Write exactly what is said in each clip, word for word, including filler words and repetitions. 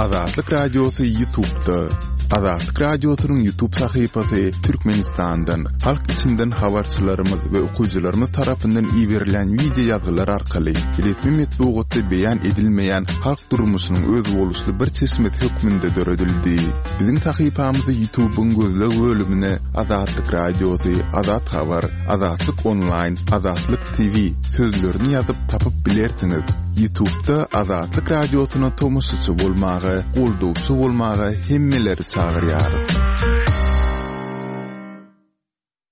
Azatlyk Radiosy YouTube'da. Azatlyk Radiosynyň YouTube sahypasy Türkmenistandan, halk içinden habarçylarymyz we okyjylarymyz tarapyndan iberilen wideo ýazgylar arkaly resmi metbugatda beýan edilmeýän halk durmuşynyň özboluşly bir çeşmesi hökmünde döredildi. Biziň sahypamyzy YouTube'yň gözleg bölümine Azatlyk Radiosy, Azat Habar, Azatlyk Online, Azatlyk T V sözlerini ýazyp tapyp bilersiňiz. YouTube'da Azatlyk Radiosyna tomaşaçy bolmaga, goldawçy bolmaga hemmeleri çagyrýarys.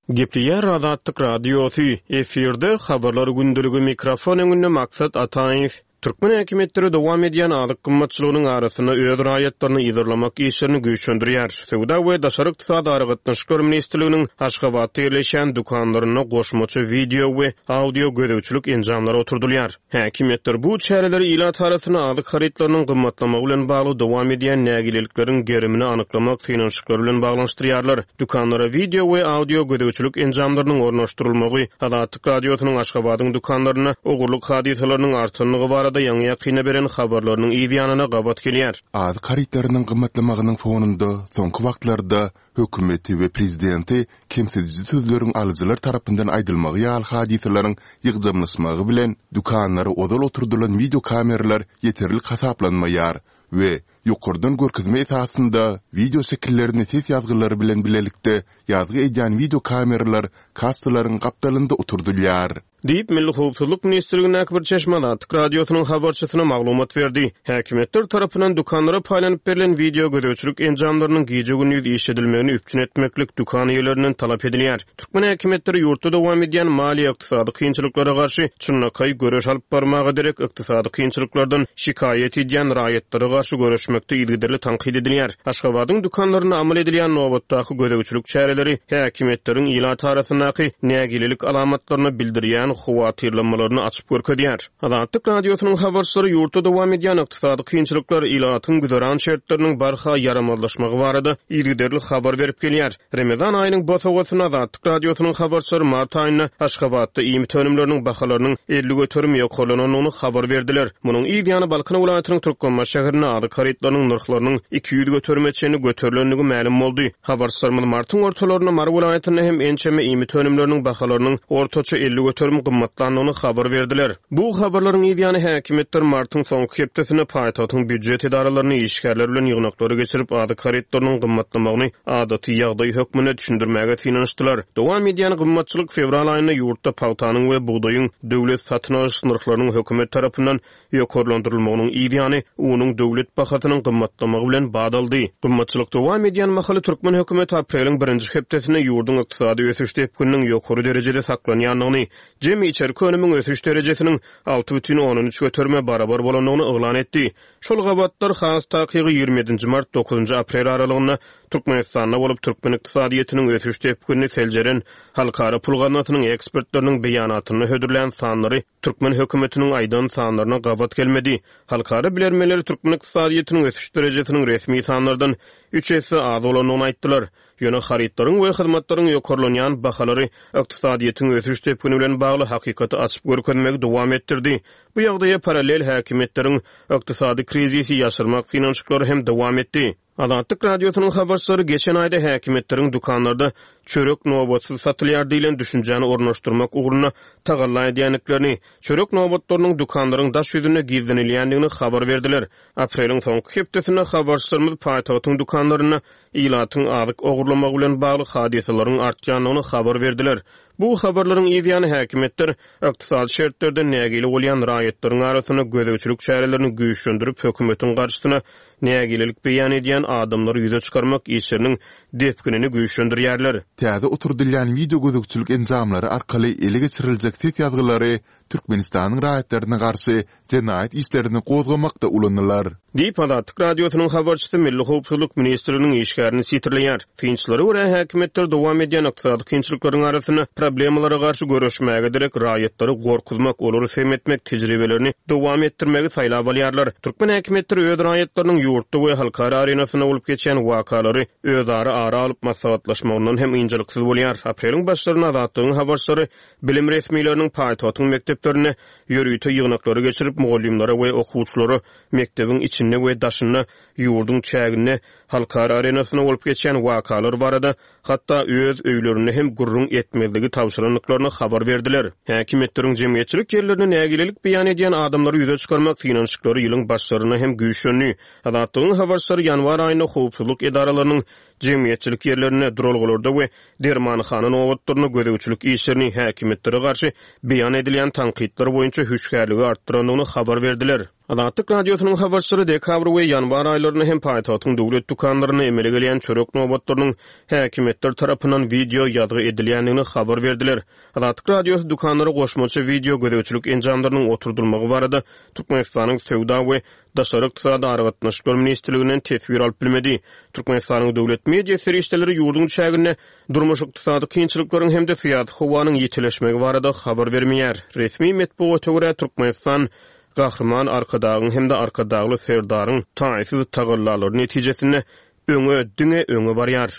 Gepleýär Azatlyk Radiosy, efirde habarlar gündeligi, mikrofon öňünde Maksat Ataýew. Türkmen häkimiýetleri dowam edýän azyk gymmatçylygynyň arasynda öz raýatlaryny yzarlamak işlerini güýçlendirýär. Söwda we daşary ykdysady aragatnaşyklar ministrliginiň Aşgabatda ýerleşýän dükanlarynda goşmaça wideo we audio gözegçilik enjamlary oturdylýar. Häkimiýetler bu çäreleri ilat arasynda azyk harytlarynyň gymmatlamagy bilen bagly dowam edýän nägilelikleriň gerimini anyklamak synanyşyklary bilen baglanyşdyrýarlar. Dükanlara wideo we audio gözegçilik enjamlarynyň ornaşdyrylmagy Azatlyk Radiosynyň Aşgabadyň dükanlarynda ogurlyk hadysalarynyň artandygy barada ýaňy ýakynda beren habarlarynyň yz ýanyna gabat gelýär. Azyk harytlarynyň gymmatlamagynyň fonunda soňky wagtlarda hökümeti we prezidenti kemsidiji sözleriň alyjylar tarapyndan aýdylmagy ýaly hadysalaryň ýygjamlaşmagy bilen dükanlara ozal oturdylan wideo kameralar ýeterlik hasaplanmaýar we ýokardan görkezme esasynda wideo şekillerini ses ýazgylary bilen bilelikde ýazgy edýän wideo kameralar kassalaryň gapdalynda oturdylýar. Diýip, Milli Howpsuzlyk ministrligindäki bir çeşme Azatlyk Radiosynyň habarçysyna maglumat berdi. Häkimiýetler tarapyndan dükanlara paýlanyp berlen wideo gözegçilik enjamlarynyň gije-gündiz işledilmegini üpjün etmeklik dükan eýelerinden talap edilýär. Türkmen häkimiýetleri ýurtda dowam edýän maliýe ykdysady kynçylyklara garşy çynlakaý göreş alyp barmaga derek ykdysady kynçylyklardan şikaýat edýän raýatlara garşy göreşmekde yzygiderli tankyt edilýär. Aşgabadyň dükanlarynda amal edilýän nobatdaky gözegçilik çäreleri häkimiýetleriň ilat arasyndaky nägilelik alamatlaryny bildirýän howatyrlanmalaryny açyp görkezýär. Azatlyk Radiosynyň habarçylary ýurtda dowam edýän ykdysady kynçylyklar, ilatyň güzeran şertleriniň barha ýaramazlaşmagy barada yzygiderli habar berip gelýär. Ramazan aýynyň bosagasynda Azatlyk Radiosynyň habarçylary mart aýynda Aşgabatda iýmit önümleriniň bahalarynyň elli göterim ýokarlanandygyny habar berdiler. Munuň yz ýany Balkan welaýatynyň Türkmenbaşy şäherinde azyk harytlarynyň nyrhlarynyň iki ýüz göterime çenli göterilendigi mälim boldy. Habarçylarymyz martyň ortalarynda Mary welaýatynda hem ençeme iýmit önümleriniň bahalarynyň ortaça elli göterim gymmatlandygyny habar berdiler. Bu habarlaryň yz ýany häkimiýetler martyň soňky hepdesinde paýtagtyň býujet edaralaryny işgärler bilen ýygnaklary geçirip azyk harytlarynyň gymmatlamagyny adaty ýagdaý hökmünde düşündirmäge synanyşdylar. Dowam edýän gymmatçylyk fewral aýynda ýurtda pagtanyň we bugdaýyň döwlet satyn alyş nyrhlarynyň hökümet tarapyndan ýokarlandyrylmagynyň yz ýany unuň döwlet bahasynyň gymmatlamagy bilen badaldy. Gymmatçylyk dowam edýän mahaly türkmen hökümeti apreliň birinji hepdesinde ýurduň ykdysady ösüş depgininiň ýokary derejede saklanýandygyny, jemi içerki önümiň ösüş derejesiniň alty bütin ondan üç göterime barabar bolandygyny yglan etdi. Şol gabatlar has takygy ýigrimi ýedinji mart dokuzynjy aprel aralygynda Türkmenistanda bolup türkmen ykdysadyýetiniň ösüş depginini seljeren Halkara Pul Gaznasynyň ekspertleriniň beýanatynda hödürlän sanlary türkmen hökümetiniň aýdan sanlaryna gabat gelmedi. Halkara bilermenleri türkmen ykdysadyýetiniň ösüş derejesiniň resmi sanlardan üç esse az bolandygyny aýtdylar. Ýöne harytlaryň we hyzmatlaryň ýokarlanýan bahalary ykdysadyýetiň ösüş depgini bilen bagly hakykaty açyp görkezmegi dowam etdirdi. Bu ýagdaýa parallel häkimiýetleriň ykdysady krizisi ýaşyrmak synanyşyklary hem dowam etdi. Azatlyk Radiosynyň habarçylary geçen aýda häkimiýetleriň dükanlarda çörek nobatsyz satylýar diýlen düşünjäni ornaşdyrmak ugrunda tagalla edýändiklerini, çörek nobatlarynyň dükanlaryň daş ýüzünde gizlenilýändigini habar berdiler. Apreliň soňky hepdesinde habarçylarymyz paýtagtyň dükanlarynda ilatyň azyk ogurlamagy bilen bagly hadysalaryň artýandygyny habar berdiler. Bu habarlaryň yz ýany häkimiýetler ykdysady şertlerden nägile bolýan raýatlaryň arasynda gözegçilik çärelerini güýçlendirip hökümetiň garşysyna nägilelik beýan edýän adamlary ýüze çykarmak işleriniň depginini güýçlendirýärler. Täze oturdylýan wideo gözegçilik enjamlary arkaly ele geçiriljek ses ýazgylary Türkmenistanyň raýatlaryna garşy jenaýat işlerini gozgamakda ulanylar. Diýip Azatlyk Radiosynyň habarçysy Milli Howpsuzlyk ministrliginiň işgärini sitirleýär. Synçylara görä häkimiýetler dowam edýän ykdysady kynçylyklaryň arasynda problemalara garşy göreşmäge derek raýatlary gorkuzmak, olary sem etmek tejribelerini dowam etdirmegi saýlap alýarlar. Türkmen häkimiýetleri öz raýatlarynyň ýurtda we halkara arenasynda bolup geçýän wakalary özara ara alyp maslahatlaşmagyndan hem ynjalyksyz bolýar. Apreliň başlarynda Azatlygyň habarçylary bilim resmileriniň paýtagtyň mekdeplerinde ýörite ýygnaklary geçirip, mugallymlara we okuwçylara mekdebiň içinde we daşynda, ýurduň çäginde halkara arenasynda bolup geçýän wakalar barada hatda öz öýlerinde hem gürrüň etmezligi tabşyrandyklaryny habar berdiler. Häkimiýetleriň jemgyýetçilik ýerlerinde nägilelik beýan edýän adamlary ýüze çykarmak synanyşyklary ýylyň başlarynda hem güýçlendi. Azatlygyň habarçylary ýanwar aýynda howpsuzlyk edaralarynyň jemgyýetçilik ýerlerinde, duralgalarda we dermanhana nobatlarynda gözegçilik işlerini häkimiýetlere garşy beýan edilýän tankytlar boýunça hüşgärligi artdyrandygyny habar berdiler. Azatlyk Radiosynyň habarçylary dekabr we ýanwar aýlarynda hem paýtagtyň döwlet dükanlarynda emele gelýän çörek nobatlarynyň häkimiýetler tarapyndan wideo ýazgy edilýändigini habar berdiler. Azatlyk Radiosy dükanlara goşmaça wideo gözegçilik enjamlarynyň oturdylmagy barada Türkmenistanyň Söwda we daşary ykdysady aragatnaşyklar ministrliginden teswir alyp bilmedi. Türkmenistanyň döwlet media serişdeleri ýurduň çäginde durmuş-ykdysady kynçylyklaryň hem-de syýasy howanyň ýitileşmegi barada habar bermeýär. Resmi metbugata görä, Türkmenistan Gahryman Arkadagyň hem-de Arkadagly Serdaryň taýsyz tagallalary netijesinde öňe, diňe öňe barýar.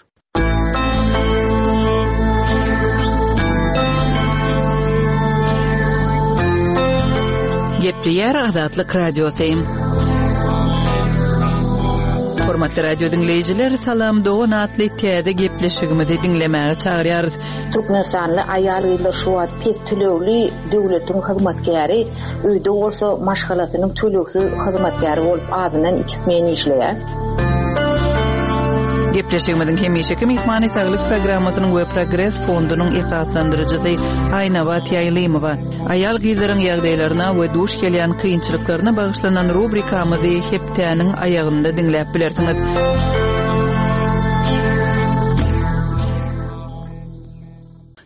Gepleýär Azatlyk Radiosy. Hormatly radio diňleýjiler, Salam Dogan atly täze gepleşigimizi diňlemäge çagyrýarys. Türkmenistanly aýal-gyzlar şu wagt pes tölegli döwletiň hyzmatkäri, öýde bolsa maşgalasynyň tölegsiz hyzmatkäri bolup azyndan iki smen işleýär. Gepleşigimiziň hemişeki myhmany Saglyk programmasynyň we Progres fondunyň esaslandyryjysy Aýnabat Ýaýlymowa. Aýal-gyzlaryň ýagdaýlaryna we duş gelýän kynçylyklaryna bagyşlanan rubrikamyzy hepdäniň aýagynda diňläp bilersiňiz.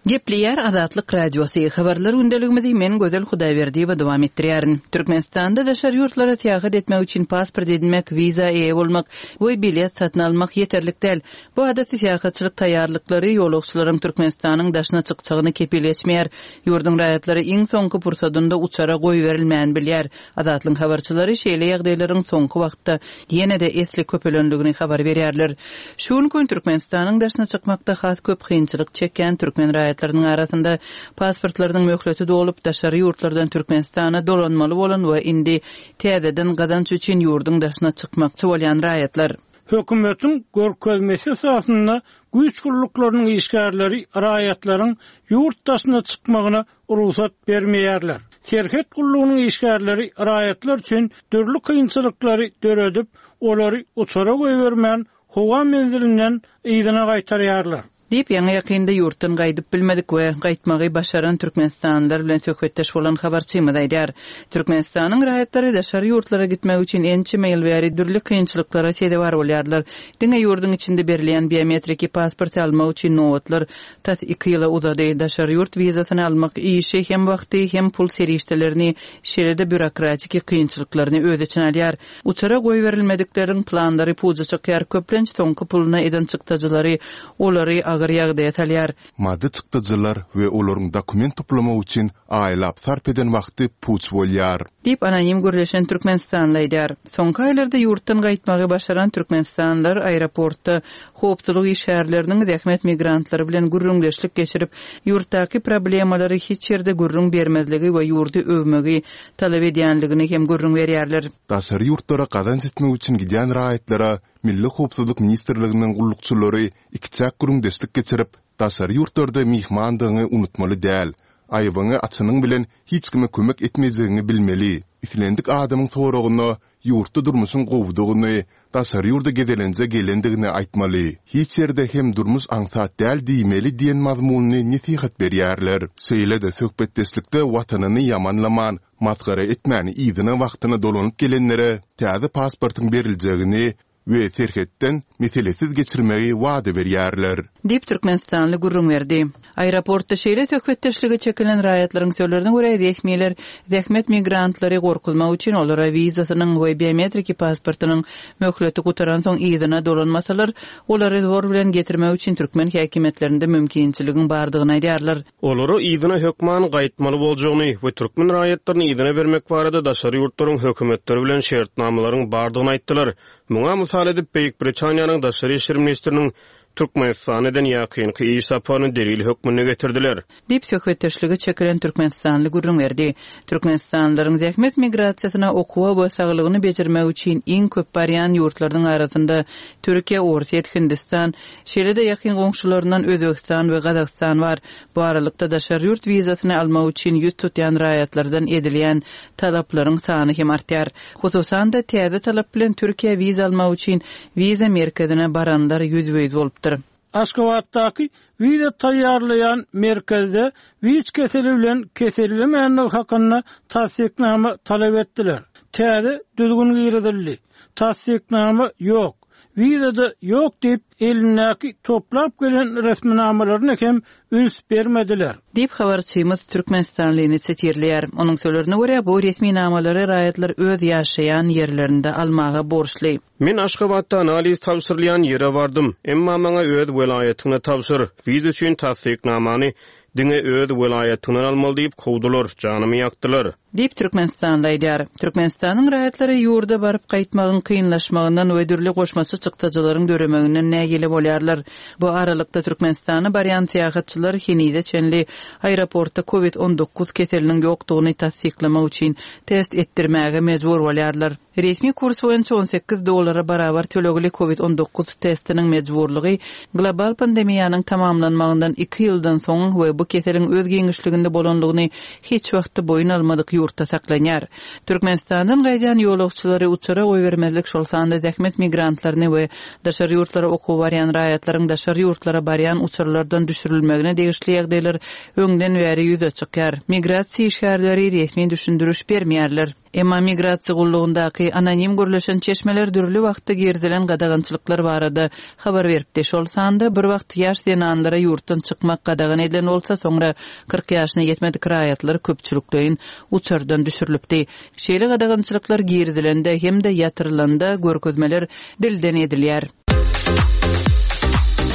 Gepleýär Azatlyk Radiosy. Habarlar gündeligimizi men Gözel Hudaýberdiýewa dowam etdirýärin. Türkmenistanda daşary ýurtlara syýahat etmek üçin pasport edinmek, wiza eýe bolmak we bilet satyn almak ýeterlik däl. Bu adaty syýahatçylyk taýýarlyklary ýolagçylaryň Türkmenistanyň daşyna çykjagyny kepil geçmeýär. Ýurduň raýatlary iň soňky pursadynda uçara goýberilmän bilýär. Azatlyk habarçylary şeýle ýagdaýlaryň soňky wagtda ýene-de esli köpelendigini habar berýärler. Şu gün Türkmenistanyň daşyna çykmakda has köp kynçylyk çekýän türkmen raýatlarynyň arasynda pasportlarynyň möhleti dolup daşary ýurtlardan Türkmenistana dolanmaly bolan we indi täzeden gazanç üçin ýurduň daşyna çykmakçy bolýan raýatlar. Hökümetiň görkezmesi esasynda güýç gulluklarynyň işgärleri raýatlaryň ýurt daşyna çykmagyna rugsat bermeýärler. Serhet gullugynyň işgärleri raýatlar üçin dürli kynçylyklary döredip, olary uçara goýbermän howa menzilinden yzyna gaýtarýarlar. Diýip, ýaňy ýakynda ýurtdan gaýdyp bilmedik we gaýtmagy başaran türkmenistanlylar bilen söhbetdeş bolan habarçymyz aýdar. Türkmenistanyň raýatlary daşary ýurtlara gitmek üçin ençeme ýyl bäri dürli kynçylyklara sezewar bolýarlar. Diňe ýurduň içinde berilýän biometriki pasporty almak üçin nobatlar tas iki ýyla uzady. Daşary ýurt wizasyny almak işi hem wagty hem pul serişdelerini, şeýle-de býurokratiki kynçylyklaryny öz içine alýar. Uçara goýberilmedikleriň planlary puja çykýar. Köplenç soňky puluna eden çykdajylary olary agyr ýagdaýa salýar. Maddy çykdajylar we olaryň dokument toplamak üçin aýlap sarp eden wagty puç bolýar. Diýip anonim gürleşen Türkmenistanly aýdar. Soňky aýlarda ýurtdan gaýtmagy başaran türkmenistanlylar aeroportda howpsuzlyk işgärleriniň zähmet migrantlary bilen gürrüňdeşlik geçirip, ýurtdaky problemalary hiç ýerde gürrüň bermezligi we ýurdy övmegi talap edýänligini hem gürrüň berýärler. Daşary ýurtlara gazanç etmek üçin gidýän raýatlara Milli Howpsuzlyk Ministrliginiň gullukçylary ikiçäk gürrüňdeşlik geçirip, daşary ýurtlarda myhmandygyňy unutmaly däl, aýbyňy açanyň bilen hiç kime kömek etmejegiňi bilmeli. Islendik adamyň soragyna ýurtda durmuşyň gowudygyny, daşary ýurda gezelenje gelendigini aýtmaly. Hiç ýerde hem durmuş aňsat däl diýmeli diýen mazmunyny nesihat berýärler. Şeýle-de söhbetdeşlikde watanyny ýamanlaman, masgara etmän yzyna wagtyna dolanyp gelenlere täze pasportyň beriljegini we serhetden meselesiz geçirmegi wada berýärler. Diýip Türkmenistanly gürrüň berdi. Aeroportda şeýle söhbetdeşlige çekilen raýatlaryň sözlerine görä resmiler zähmet migrantlary gorkuzmak üçin olara wizasynyň we biometriki pasportynyň möhleti gutaransoň yzyna dolanmasalar, olary zor bilen getirmek üçin türkmen häkimiýetlerinde mümkinçiligiň bardygyny aýdýarlar. Olara yzyna hökman gaýtmaly boljagyny we türkmen raýatlaryny yzyna bermek barada daşary ýurtlaryň hökümetleri bilen şertnamalaryň bardygyny aýtdylar. Muňa mysal edip, Beýik Britaniýanyň Daşary işler ministriniň Türkmenistana eden ýakynky iş saparyny delil hökmünde getirdiler. Diýip, söhbetdeşlige çekilen türkmenistanly gürrüň berdi. Türkmenistanlylaryň zähmet migrasiýasyna okuwa we saglygyny bejermek üçin iň köp barýan ýurtlarynyň arasynda Türkiýe, Orsýet, Hindistan, şeýle-de ýakyn goňşularyndan Özbegistan we Gazagystan bar. Bu aralykda, daşary ýurt wizasyny almak üçin ýüz tutýan raýatlardan edilýän talaplaryň sany hem artýar. Hususan-da, täze talap bilen Türkiýä wiza almak üçin wiza merkezine baranlar ýüzbe-ýüz bolupdyr. Aşgabatdaky wiza taýýarlaýan merkezde WIÇ keseli bilen kesellemändigi hakynda tassyknama talap etdiler. Täze düzgün girizildi. Tassyknama ýok, wiza-da ýok diýip, elindäki toplap gelen resminamalaryna hem üns bermediler. Diýip, habarçymyz türkmenistanlyny sitirleýär. Onuň sözlerine görä, bu resminamalary raýatlar öz ýaşaýan ýerlerinde almaga borçly. Men Aşgabatda analiz tabşyrylýan ýere bardym. Emma maňa öz welaýatyňda tabşyr, wiza üçin tassyknamany diňe öz welaýatyňdan almaly diýip kowdular, janymy ýakdylar. Diýip, türkmenistanly aýdýar. Türkmenistanyň raýatlary ýurda baryp gaýtmagyň kynlaşmagyndan we dürli goşmaça çykdajylaryň döremeginden nägile bolýarlar. Bu aralykda, Türkmenistana barýan syýahatçylar henize çenli aeroportda covid on dokuz keseliniň ýokdugyny tassyklamak üçin test etdirmäge mejbur bolýarlar. Resmi kurs boýunça on sekiz dollara barabar tölegli covid on dokuz testiniň mejburlygy global pandemiýanyň tamamlanmagyndan iki ýyldan soň we bu keseliň öz giňişliginde bolanlygyny hiç wagtda boýun almadyk ýurtda saklanýar. Türkmenistandan gaýdýan ýolagçylary uçara goýbermezlik, şol sanda zähmet migrantlaryny we daşary ýurtlara okuwa barýan raýatlaryň daşary ýurtlara barýan uçarlardan düşürilmegine degişli ýagdaýlar öňden bäri ýüze çykýar. Migrasiýa işgärleri resmi düşündiriş bermeýärler. Emma migrasiýa gullugyndaky anonim gürleşen çeşmeler dürli wagtda girizilen gadagançylyklar barada habar beripdi. Şol sanda bir wagt ýaş zenanlara ýurtdan çykmak gadagan edilen bolsa, soňra kyrk ýaşyna ýetmedik raýatlar köpçülikleýin uçardan düşürilipdi. Şeýle gadagançylyklar girizilende hem-de ýatyrylanda görkezmeler dilden edilýär.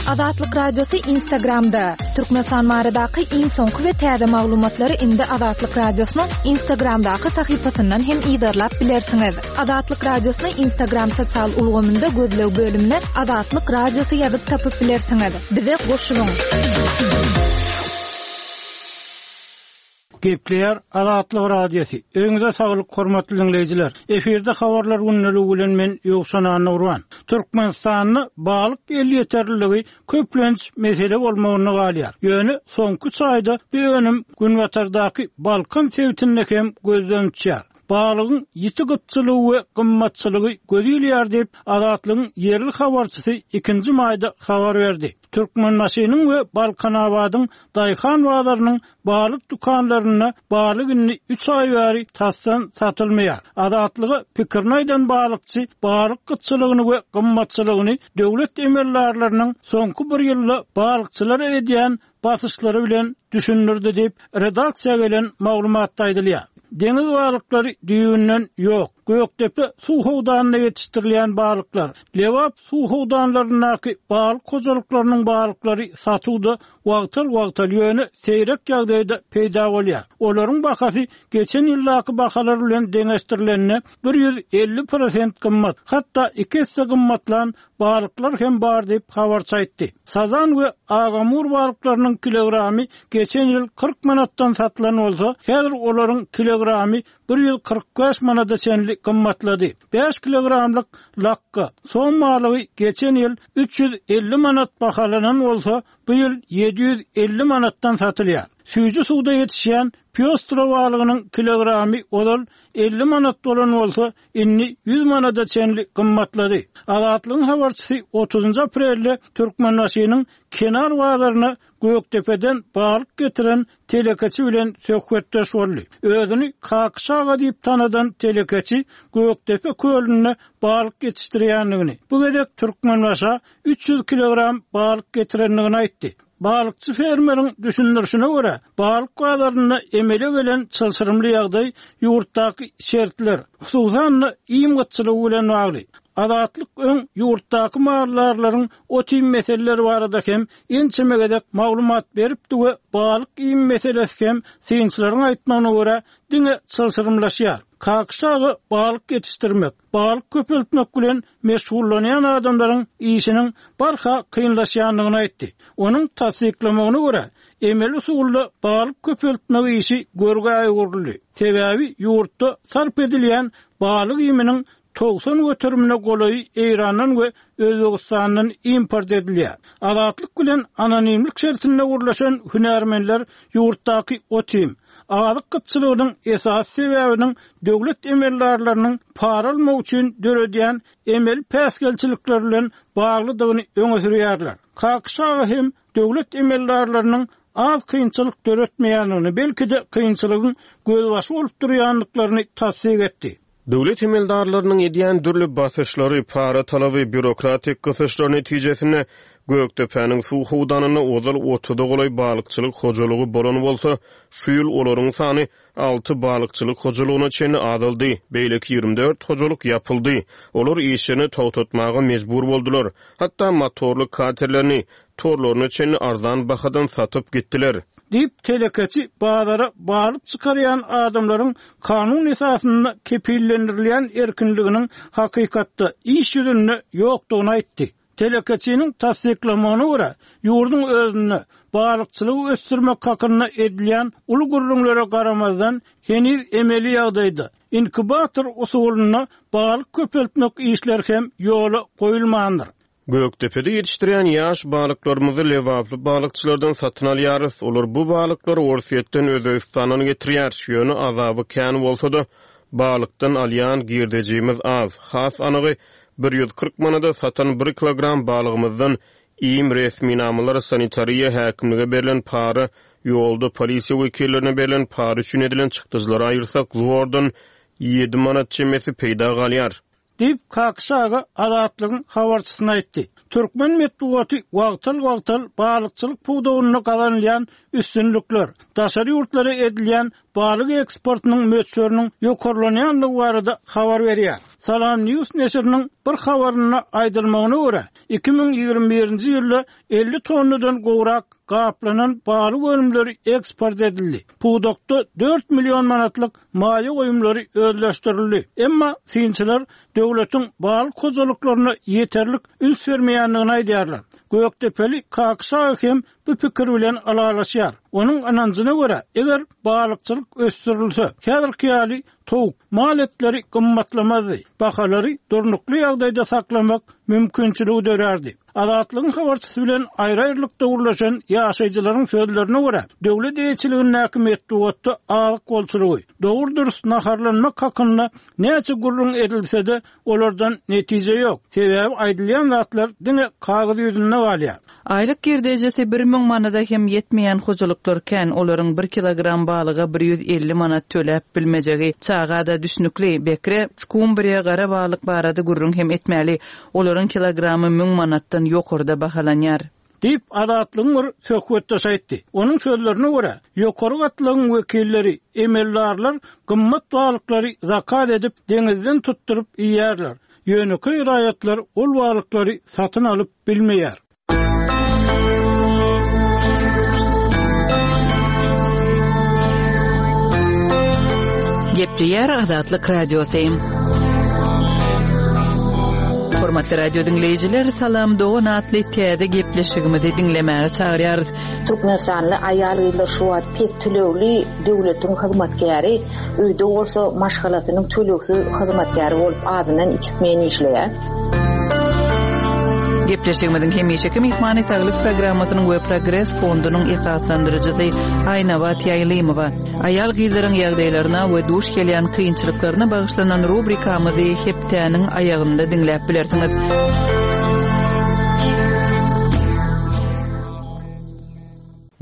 Azatlyk Radiosy Instagramda. Türkmenistan baradaky iň soňky we täze maglumatlary indi Azatlyk Radiosynyň Instagramdaky sahypasyndan hem yzarlap bilersiňiz. Azatlyk Radiosyny Instagram sosial ulgamynda gözleg bölümine Azatlyk Radiosy ýazyp tapyp bilersiňiz. Bize goşulyň. Gepleýär Azatlyk Radiosy. Öňüňize saglyk hormatly dinleýjiler. Efirde habarlar günlügi bilen men Ýowşan Annagurban. Türkmenistanda balyk elýeterliligi köplenç mesele bolmagyna galýar. Ýöne soňky üç aýda bu önüm Günbatardaky Balkan sebitinde hem gözden uçýar. Balygyň ýiti gytçylygy we gymmatçylygy gözilýär diýip Azatlygyň ýerli habarçysy ikinji maýda habar berdi. Türkmenbaşynyň we Balkanabadyň Daýhan bazarynyň balyk dükanlarynda balyk indi üç aý bäri tasdan satylmaýar. Azatlyga pikirini aýdan balykçy balyk gytçylygyny we gymmatçylygyny döwlet emeldarlarynyň soňky bir ýylda balykçylara edýän basyşlary bilen düşündirdi diýip redaksiýa gelen maglumatda aýdylýar. Deňiz balyklary düýünden ýok. Gökdepe suw howdanynda ýetişdirilýän balyklar, Lebap suw howdanlaryndaky balyk hojalyklarynyň balyklary satuwda wagtal-wagtal ýöne seýrek ýagdaýda peýda bolýar. Olaryň bahasy geçen ýyldaky bahalar bilen deňeşdirilende bir ýüz elli prosent gymmat, hatda iki esse gymmatlan balyklar hem bar diýip habarçy aýtdy. Sazan we agamur balyklarynyň kilogramy geçen ýyl kyrk manatdan satylan bolsa, häzir olaryň kilogramy bir ýüz kyrk bäş manada çenli gymmatlady. Bäş kilogramlyk lakka som balygy geçen ýyl üç ýüz elli manat bahalanan bolsa, bu ýyl ýedi ýüz elli manatdan satylýar. Süýji suwda ýetişýän pýostra balygynyň kilogramy ozal elli manat bolan bolsa, indi ýüz manada çenli gymmatlady. Azatlygyň habarçysy otuzynjy aprelde Türkmenbaşynyň kenar bazaryna Gökdepeden balyk getiren telekeçi bilen söhbetdeş boldy. Özüni Kakyş aga diýip tanadan telekeçi Gökdepe kölünde balyk ýetişdirýändigini, bu gezek Türkmenbaşa üç ýüz kilogram balyk getirendigini aýtdy. Balykçy fermeriň düşündirişine görä, balyk bazarynda emele gelen çylşyrymly ýagdaý ýurtdaky şertler, hususan-da iým gytçylygy bilen bagly. Azatlyk öň ýurtdaky maldarlaryň ot-iým meseleleri barada hem ençeme gezek maglumat beripdi we balyk iým meselesi hem synçylaryň aýtmagyna görä diňe çylşyrymlaşýar. Kakyş aga balyk ýetişdirmek, balyk köpeltmek bilen meşgullanýan adamlaryň işiniň barha kynlaşýandygyny aýtdy. Onuň tassyklamagyna görä, emeli usulda balyk köpeltmek işi görgä öwrüldi. Sebäbi ýurtda sarp edilýän balyk iýminiň togsan göterimine golaýy Eýrandan we Özbegistandan import edilýär. Azatlyk bilen anonimlik şertinde gürleşen hünärmenler ýurtdaky ot-iým, azyk gytçylygynyň esasy sebäbiniň döwlet emeldarlarynyň para almak üçin döredýän emeli päsgelçilikler bilen baglydygyny öňe sürýärler. Kakyş aga hem döwlet emeldarlarynyň az kynçylyk döretmeýändigini, belki-de kynçylygyň gözbaşy bolup durýandyklaryny tassyk etdi. Döwlet emeldarlarynyň edýän dürli basyşlary, para talaby, býurokratik gysyşlar netijesinde Gökdepäniň suw howdanynda ozal otuza golaý balykçylyk hojalygy bolan bolsa, şu ýyl olaryň sany alty balykçylyk hojalygyna çenli azaldy, beýleki ýigrimi dört hojalyk ýapyldy. Olar işlerini togtatmaga mejbur boldular. Hatda motorly katerlerini, torlaryna çenli arzan bahadan satyp gitdiler. Diýip, telekeçi bazara balyk çykarýan adamlaryň kanun esasynda kepillendirilýän erkinliginiň hakykatda iş ýüzünde ýokdugyny aýtdy. Telekeçiniň tassyklamagyna görä, ýurduň özünde balykçylygy ösdürmek hakynda edilýän uly gürrüňlere garamazdan, heniz emeli ýagdaýda inkubator usulynda balyk köpeltmek işleri hem ýola goýulmandyr. Gökdepede ýetişdirýän ýaş balyklarymyzy lebaply balykçylardan satyn alýarys. Olar bu balyklary Orsýetden, Özbegistandan getirýär. Ýöne azaby kän bolsa-da, balykdan alýan girdejimiz az. Has anygy, bir ýüz kyrk manada satan bir kilogram balygymyzdan iým, resminamalar, sanitariýa, häkimlige berlen para, ýolda polisiýa wekillerine berlen para üçin edilen çykdajylary aýyrsak, zordan ýedi manat çemesi peýda galýar. Diýip, Kakyş aga Azatlygyň habarçysyna aýtdy. Türkmen metbugaty wagtal-wagtal balykçylyk pudagynda gazanylýan üstünlikler, daşary ýurtlara edilýän balyk eksportynyň möçberiniň ýokarlanýandygy barada habar berýär. Salam News neşiriniň bir habarynda aýdylmagyna görä, iki müň ýigrimi birinji ýylda elli tonnadan gowrak gaplanan balyk önümleri eksport edildi. Pudakda dört million manatlyk maýa goýumlary özleşdirildi. Emma synçylar döwletiň balyk hojalyklaryna ýeterlik üns bermeýändigini aýdýarlar. Gökdepeli Kakyş aga hem bu pikir bilen ylalaşýar. Onuň ynanjyna görä, eger balykçylyk ösdürilse, häzirki ýaly towuk, mal etleri gymmatlamazdy, bahalary durnukly ýagdaýda saklamak mümkinçiligi dörärdi. Azatlygyň habarçysy bilen aýry-aýrylykda gürleşen ýaşaýjylaryň sözlerine görä, döwlet eýeçiligindäki metbugatda azyk bolçulygy, dogry-dürs naharlanmak hakynda näçe gürrüň edilse-de, olardan netije ýok. Sebäbi aýdylýan zatlar diňe kagyz ýüzünde galýar. Aýlyk girdejisi bir müň manada hem ýetmeýän hojalyklar kän, olaryň bir kilogram balyga bir ýüz elli manat töläp bilmejegi çaga-da düşnükli. Bekre, skumbriýa, gara balyk barada gürrüň hem etmäli. Olaryň kilogramy müň manatdan ýokarda bahalanýar. Diýip, Azatlygyň bir söhbetdeşi aýtdy. Onuň sözlerine görä, ýokary gatlagyň wekilleri, emeldarlar gymmat balyklary zakaz edip, deňizden tutduryp iýýärler. Ýönekeý raýatlar ol balyklary satyn alyp bilmeýär. Gepleýär Azatlyk Radiosy. Hormatly radio diňleýjiler, Salam dogan atly täze gepleşigimizi diňlemäge çagyrýarys. Türkmenistanly aýal-gyzlar şu wagt pes tölegli döwletiň hyzmatkäri, öýde bolsa maşgalasynyň tölegsiz hyzmatkäri bolup azyndan iki smen işleýär. Gepleşigimiziň hemişeki myhmany Saglyk programmasynyň we Progres fondunyň esaslandyryjysy Aýnabat Ýaýlymowa. Aýal-gyzlaryň ýagdaýlaryna we duş gelýän kynçylyklaryna bagyşlanan rubrikamyzy hepdäniň aýagynda diňläp bilersiňiz.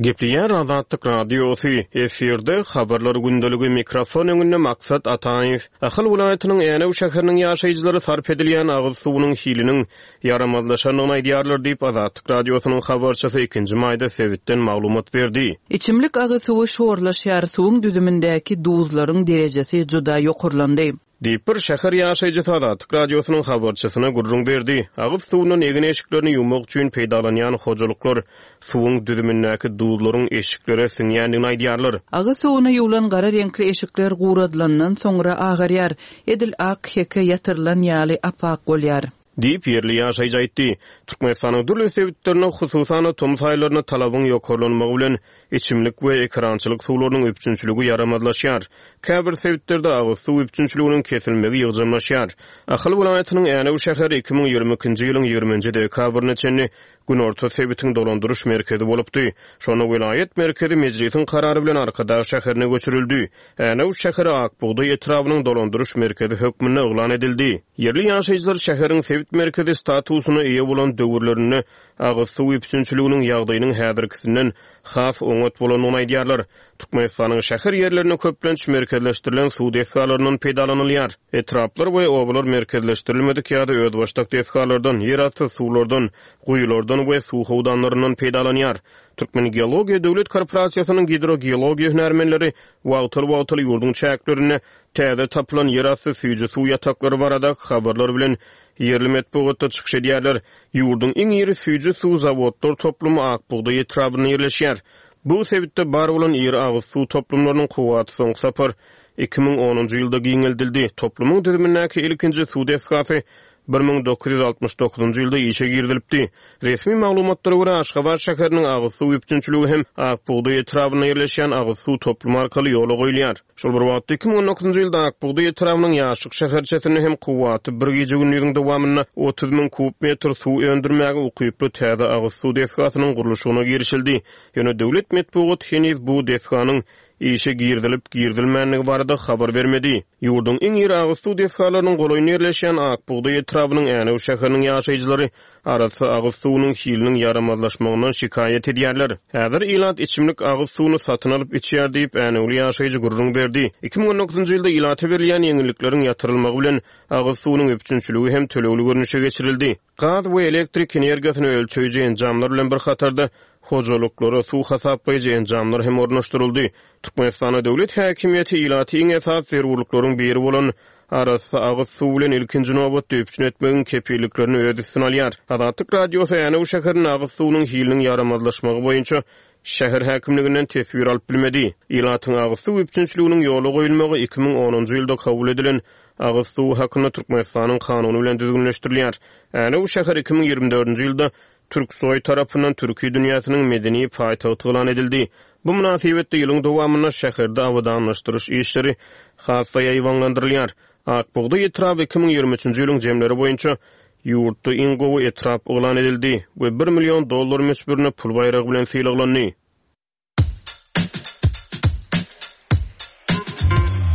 Gepleýär Azatlyk Radiosy, efirde habarlar gündeligi, mikrofon öňünde Maksat Ataýew. Ahal welaýatynyň Änew şäheriniň ýaşaýjylary sarp edilýän agyz suwunyň hiliniň ýaramazlaşandygyny aýdýarlar diýip, Azatlyk Radiosynyň habarçysy ikinji maýda sebitden maglumat berdi. Içimlik agyz suwy şorlaşýar, suwuň düzümindäki duzlaryň derejesi juda ýokarlandy. Diýip, bir şäher ýaşaýjysy Azatlyk Radiosynyň habarçysyna gürrüň berdi. Agyz suwundan egin-eşiklerini ýuwmak üçin peýdalanýan hojalyklar suwuň düzümindäki duzlaryň eşiklere siňýändigini aýdýarlar. Agyz suwuna ýuwlan gara reňkli eşikler guradylandan soňra agarýar, edil ak heke ýatyrylan ýaly ap-ak bolýar. Diýip, ýerli ýaşaýjy aýtdy. Türkmenistanyň dürli sebitlerinde, hususan-da, tomus aýlarynda talabyň ýokarlanmagy bilen, içimlik we ekerançylyk suwlarynyň üpjünçiligi ýaramazlaşýar. Käbir sebitlerde agyz suw üpjünçiliginiň kesilmegi ýygjamlaşýar. Ahal welaýatynyň Änew şäheri iki müň ýigrimi ikinji ýylyň ýigriminji dekabryna çenli günorta sebitiň dolandyryş merkezi bolupdy. Şonda welaýat merkezi Mejlisiň karary bilen Arkadag şäherine göçürildi. Änew şäheri Ak bugdaý etrabynyň dolandyryş merkezi hökmünde yglan edildi. Ýerli ýaşaýjylar şäheriň sebit merkezi statusyna eýe bolan döwürlerinde agyz suw üpjünçiliginiň ýagdaýynyň häzirkisinden has oňat bolandygyny aýdýarlar. Türkmenistanyň şäher ýerlerinde köplenç merkezleşdirilen suw desgalaryndan peýdalanylýar. Etraplar we obalar merkezleşdirilmedik ýa-da özbaşdak desgalardan, ýerasty suwlardan, guýulardan we suw howdanlaryndan peýdalanýar. Türkmengeologiýa döwlet korporasiýasynyň gidrogeologiýa hünärmenleri wagtal-wagtal ýurduň çäklerinde täze tapylan ýerasty süýji suw ýataklary baradaky habarlar bilen ýerli metbugatda çykyş edýärler. Ýurduň iň iri süýji suw zawodlar toplumy Ak bugdaý etrabynda ýerleşýär. Bu sebitde bar bolan iri agyz suw toplumlarynyň kuwwaty soňky sapar iki müň onunjy ýylda giňeldildi. Toplumyň düzümindäki ilkinji suw desgasy bir müň dokuz ýüz altmyş dokuzynjy ýylda işe girizilipdi. Resmi maglumatlara görä, Aşgabat şäheriniň agyz suw üpjünçiligi hem Ak bugdaý etrabynda ýerleşýän agyz suw toplumy arkaly ýola goýulýar. Şol bir wagtda, iki müň on dokuzynjy ýylda Ak bugdaý etrabynyň Ýaşlyk şäherçesinde hem kuwwaty bir gije-gündiziň dowamynda otuz müň kub metr suw öndürmäge ukyply täze agyz suw desgasynyň gurluşygyna girişildi. Ýöne döwlet metbugaty heniz bu desganyň işe girizilip-girizilmändigi barada habar bermedi. Ýurduň iň iri agyz suw desgalarynyň golaýynda ýerleşýän Ak bugdaý etrabynyň Änew şäheriniň ýaşaýjylary arassa agyz suwunyň hiliniň ýaramazlaşmagyndan şikaýat edýärler. Häzir ilat içimlik agyz suwuny satyn alyp içýär diýip, Änewli ýaşaýjy gürrüň berdi. Iki müň on dokuzynjy ýylda ilata berilýän ýeňillikleriň ýatyrylmagy bilen agyz suwunyň üpjünçiligi hem tölegli görnüşe geçirildi. Gaz we elektrik energiýasyny ölçeýji enjamlar bilen bir hatarda hojalyklara suw hasaplaýjy enjamlar hem ornaşdyryldy. Türkmenistanda döwlet häkimiýeti ilaty iň esasy zerurlyklaryň biri bolan arassa agyz suw bilen ilkinji nobatda üpjün etmegiň kepilliklerini öz üstüne alýar. Azatlyk Radiosy Änew şäherinde agyz suwunyň hiliniň ýaramazlaşmagy boýunça şäher häkimliginden teswir alyp bilmedi. Ilatyň agyz suw üpjünçiliginiň ýola goýulmagy iki müň onunjy ýylda kabul edilen agyz suwy hakynda Türkmenistanyň kanuny bilen düzgünleşdirilýär. Änew şäheri iki müň ýigrimi dördünji ýylda Türksoý tarapyndan Türki dünýäsiniň medeni paýtagty yglan edildi. Bu mynasybetde ýylyň dowamynda şäherde abadanlaşdyryş işleri has-da ýaýbaňlandyrylýar. Ak bugdaý etraby iki müň ýigrimi üçünji ýylyň jemleri boýunça ýurtda iň gowy etrap yglan edildi we bir million dollar möçberinde pul baýragy bilen sylaglandy.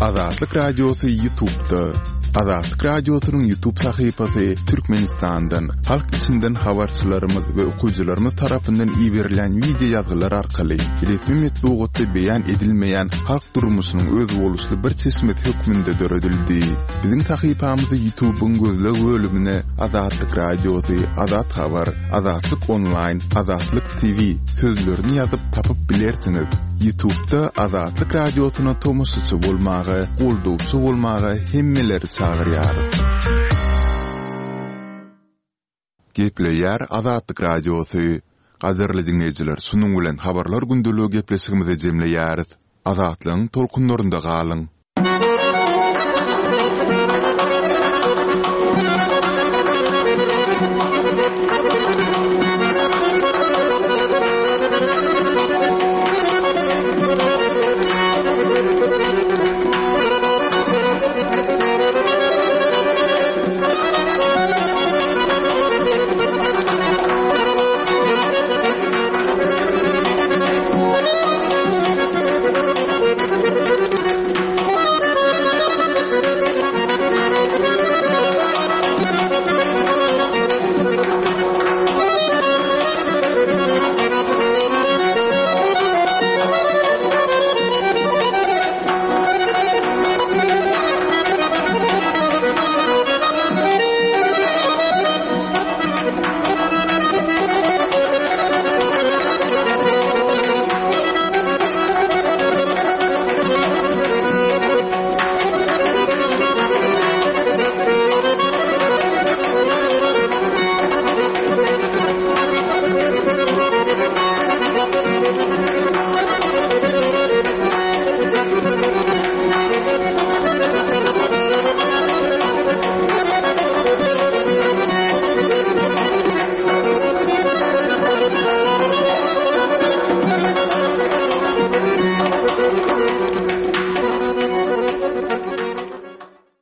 Azatlyk Radiosy YouTube'da. Azatlyk Radiosynyň YouTube sahypasy Türkmenistandan, halk içinden habarçylarymyz we okyjylarymyz tarapyndan iberilen video ýazgylar arkaly resmi metbugatda beýan edilmeýän halk durmuşynyň özboluşly bir çeşmesi hökmünde döredildi. Biziň sahypamyzy YouTube'yň gözleg bölümine Azatlyk Radiosy, Azat Habar, Azatlyk Online, Azatlyk T V sözlerini ýazyp tapyp bilersiňiz. YouTube'da Azatlyk Radiosyna tomaşaçy bolmaga, goldawçy bolmaga hemmeleri çagyrýarys. Gepleýär Azatlyk Radiosy. Gadyrly dinleýjiler, şunuň bilen habarlar gündeligi gepleşigimizi jemleýäris. Azatlygyň tolkunlarynda galyň.